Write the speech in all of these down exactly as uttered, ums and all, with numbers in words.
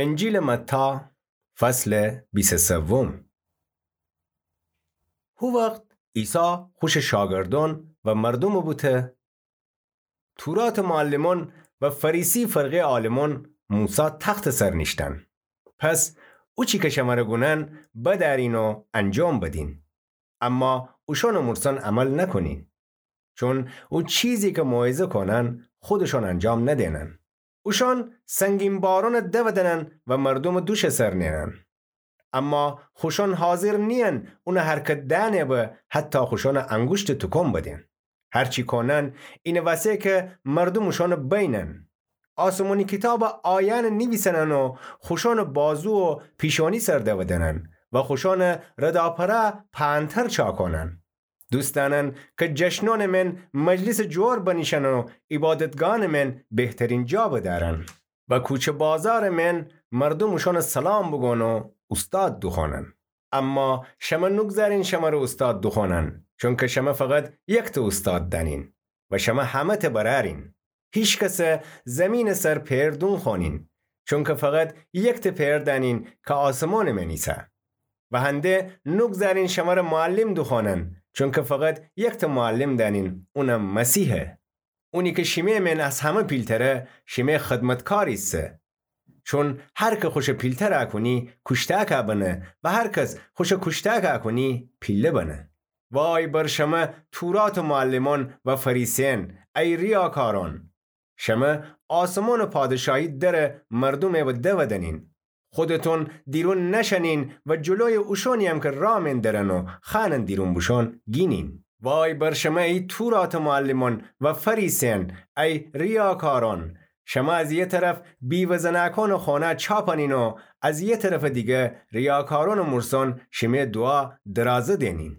انجیلٚ متی، فصلٚ بیست و سوم. هو وخت عیسی خوشٚ شاگردأن و مردومٚ بوته: توراتٚ معلمأن و فریسی فرقه‌یٚ عالمأن موسی تختٚ سر نیشتن. پس اوچی کی شمره گونن بدأرین و انجام بدین. اما اوشأنٚ مورسأن عمل نکونین. چون او چیزی کی موعظه کونن خودشأن انجام ندینن. اوشأن سنگین بارونٚ دودنن و مردومٚ دوشٚ سر نینن. اما خوشأن حاضر نیین اونٚ حرکت دئنٚ به حتی خوشأنٚ انگوشتٚ توکون بدین. هرچی کونن اینٚ وسه کی مردوم اوشأنٚ بینن. آسمانی کیتابٚ آیأنٚ نیویسنن و خوشأنٚ بازو و پیشانی سر دودنن و خوشأنٚ رداپره پأنتر چاکونن. دوست دأنن کی جشنأنٚ من مجلسٚ جور بنیشن و عیبادتگاهٚ من بهترین جا بدأرن و کوچه بازارٚ من مردوم اوشأنٚ سلام بوگون و اوستاد دوخوأنن. اما شمه نوگذارین شمره اوستاد دوخوأنن، چونکی شمه فقط یکته اوستاد دأنین و شمه همه‌ته برأرین. هیکس زمینٚ سر پئر دونخوأنین، چونکی فقط یکته پئر دأنین کی آسمانٚ من ایسه. و هنده نوگذارین شمره معلم دوخوأنن، چونکی فقط یکته معلم دأنین، اونم مسیحه. اونی کی شیمه من از همه پیلتره، شیمه خدمتکار ایسه. چون هر کی خوشه پیلتر اکونی، کوشتأک بنه و هر کس خوشه کوشتأک اکونی، پیله بنه. وای بر شمه توراتٚ معلمأن و فریسیأن، ای ریاکارأن! شمه آسمانٚ پادشاهی دره مردومٚ به دودنین. خودتون دیرون نشأنین و جلویٚ اوشونییم کی راه من درن و خوأنن دیرون بوشون گینین. وای بر شمه ای توراتٚ معلمأن و فریسیأن، ای ریاکارأن! شمه از یه طرف بیوه زنأکانٚ خونه چاپنین و از یه طرفٚ دیگه ریاکارأنٚ مورسأن شیمه دوعا درازه دینین.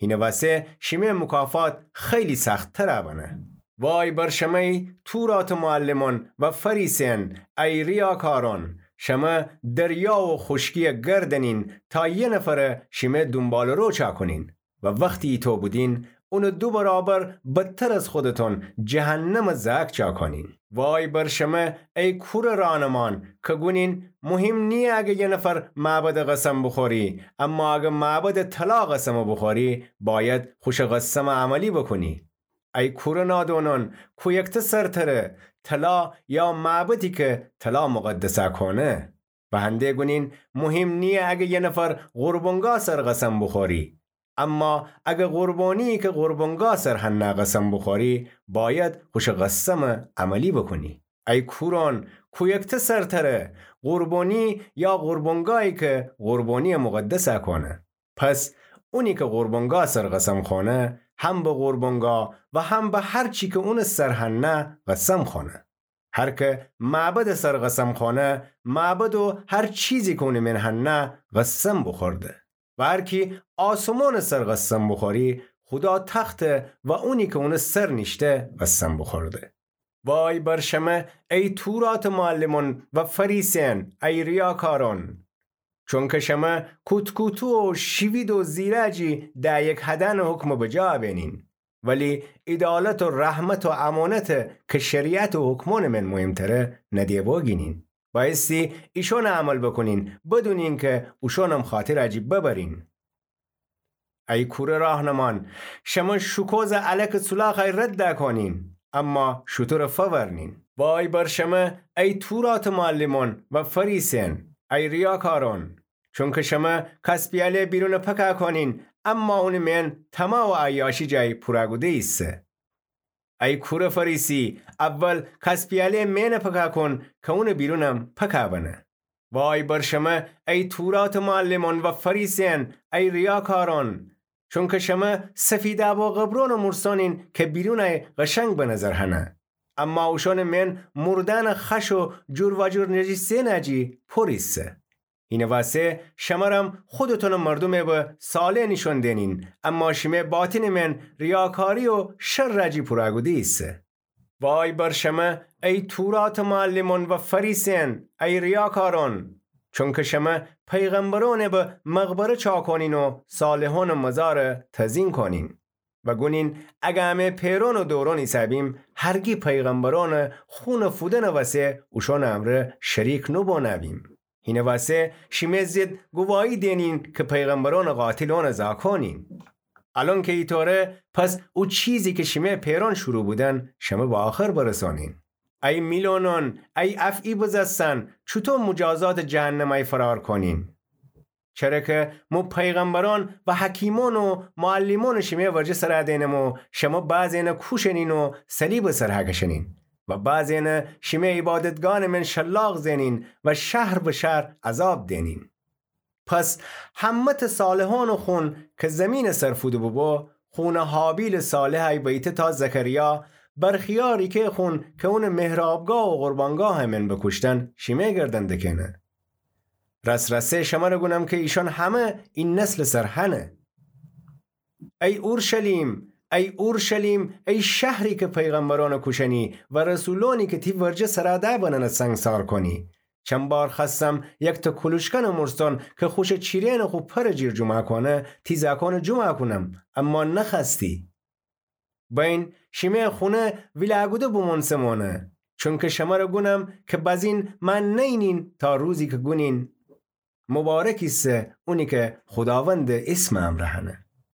هینٚ وسه شیمه مکافات خیلی سخت‌تر بنه. وای بر شمه ای توراتٚ معلمأن و فریسیأن، ای ریاکارأن! شمه دریا و خوشکی گردنین تا یه نفر شیمه دونبالٚرو چاکونین و وختی ایتو بودین، اونٚ دو برابر بدتر از خودتون جهنمٚ زأک چاکونین. وای بر شمه ای کورٚ رانمان کی گونین مهم نییه اگه یه نفر معبدٚ قسم بوخوری، اما اگه معبدٚ طلا قسم بوخوری، باید خوشٚ قسم عملی بوکونی. ای کورٚ نادونأن، کویکته سرتره، طلا یا معبدی کی طلا مقدس کونه؟ و هنده گونین مهم نییه اگه یه نفر قربانگاه سر قسم بوخوری، اما اگه قربانیی کی قربانگاه سر هنه قسم بوخوری، باید خوشٚ قسم عملی بوکونی. ای کورأن، کویکته سرتره، قربانی یا قربانگاهی کی قربانی مقدس کونه؟ پس اونی کی قربانگاه سر قسم خونه، هم به قربانگاه و هم به هرچی کی اونٚ سر هنه قسم خونه. هر کی معبدٚ سر قسم خونه، معبد و هر چیزی کی اونٚ من هنه قسم بوخورده. و هر کی آسمانٚ سر قسم بوخوری، خودا تخت و اونی کی اونٚ سر نیشته قسم بوخورده. وای بر شمه ای توراتٚ معلمأن و فریسیأن، ای ریاکارأن! چونکی شمه کوت‌کوتو و شیوید و زیرأجی ده‌یک هدأنٚ حکم بجا بینین، ولی عیدالت و رحمت و امانت کی شریعت و حکمأنٚ من مهمتره ندیه بوگینین. بایستی ایشأنٚ عمل بوکونین، بدونین کی اوشأنم خاطرٚ جی ببرین. ای کورٚ راهنمان، شمه شوکوزٚ الکٚ سولاخ رد کونین، اما شوتورٚ فورنین. وای بر شمه ای توراتٚ معلمأن و فریسیأن، ای ریاکارأن! چونکی شمه کاس‌پیاله بیرون پکه کونین، اما اونٚ من طمع و عیاشی جای پوره کوده ایسه. ای کورٚ فریسی، اول کاس‌پیاله من پکه کون کی اونٚ بیرونم پکه بنه. وای بر شمه ای توراتٚ معلمأن و فریسیأن، ای ریاکارأن! چونکی شمه سفیدأب و قبرونٚ مورسأنین کی بیرونٚ قشنگ به نظر هنه، اما اوشأنٚ من موردأنٚ خش و جور و جور نجیسه‌نٚ جی پور ایسه. هینٚ وسه شمرم خودتونٚ مردومٚ به صالح نیشون دینین، اما شیمه باطنٚ من ریاکاری و شرٚ جی پوره کوده ایسه. وای بر شمه ای توراتٚ معلمأن و فریسیأن، ای ریاکارأن! چونکی شمه پیغمبرأنٚ به مقبره چاکونین و صالحأنٚ مزار تزیین کونین. و گونین، اگه امه پئرأن و دورأن ایسه‌بیم، هرگی پیغمبرأنٚ خونٚ فودنٚ وسه اوشأنٚ امرأ شریک نوبونه‌بیم. هینٚ وسه شیمه ضد گواهی دئنین کی پیغمبرأنٚ قاتل اونٚ زاکانین. الأن کی ایطوره، پس او چیزی کی شیمه پئرأن شروع بودن، شمه به آخر برسانین. ای میلونأن، ای افعی بزستن، چوطو موجازاتٚ جهنم ای فرار کونین؟ چره کی مو پیغمبرأن و حکیمأن و معلمأنٚ شیمه ورجه سر دئنم و شمه بعضینٚ کوشنین و صلیبٚ سر هکشنین و بعضینٚ شیمه عبادتگاهٚ من شلاق زئنین و شهر به شهر عذاب دئنین. پس همه‌تٚ صالحأنٚ خون کی زیمینٚ سر فوده بوبو، خونٚ هابیلٚ صالح ای بیته تا زکریا، برخیا ریکه خون کی اونٚ محرابگاه و قربانگاهٚ من بوکوشتن، شیمه گردن دکه‌نه. راس‌راسی شمر گونم کی ایشأن همه ای نسلٚ سر هنه. ای اورشلیم، ای اورشلیم، ای شهری کی پیغمبرأن کوشنی و رسولأنی کی تی ورجه سر ده بننه سنگسار کونی. چند بار خوأستم یکتأ کولوشکنٚ مورسأن کی خوشٚ چیره‌نٚ خو پرٚ جیر جمعه کونه، تی زاکأن جمعه کونم، اما نخوأستی. بین شیمه خونه ویلاگوده بومؤنسمؤنه، چونکی شمر گونم کی بزین من نینین تا روزی کی گونین، مبارک ایسه اونی کی خوداوندٚ اسمٚ امرأ هنه.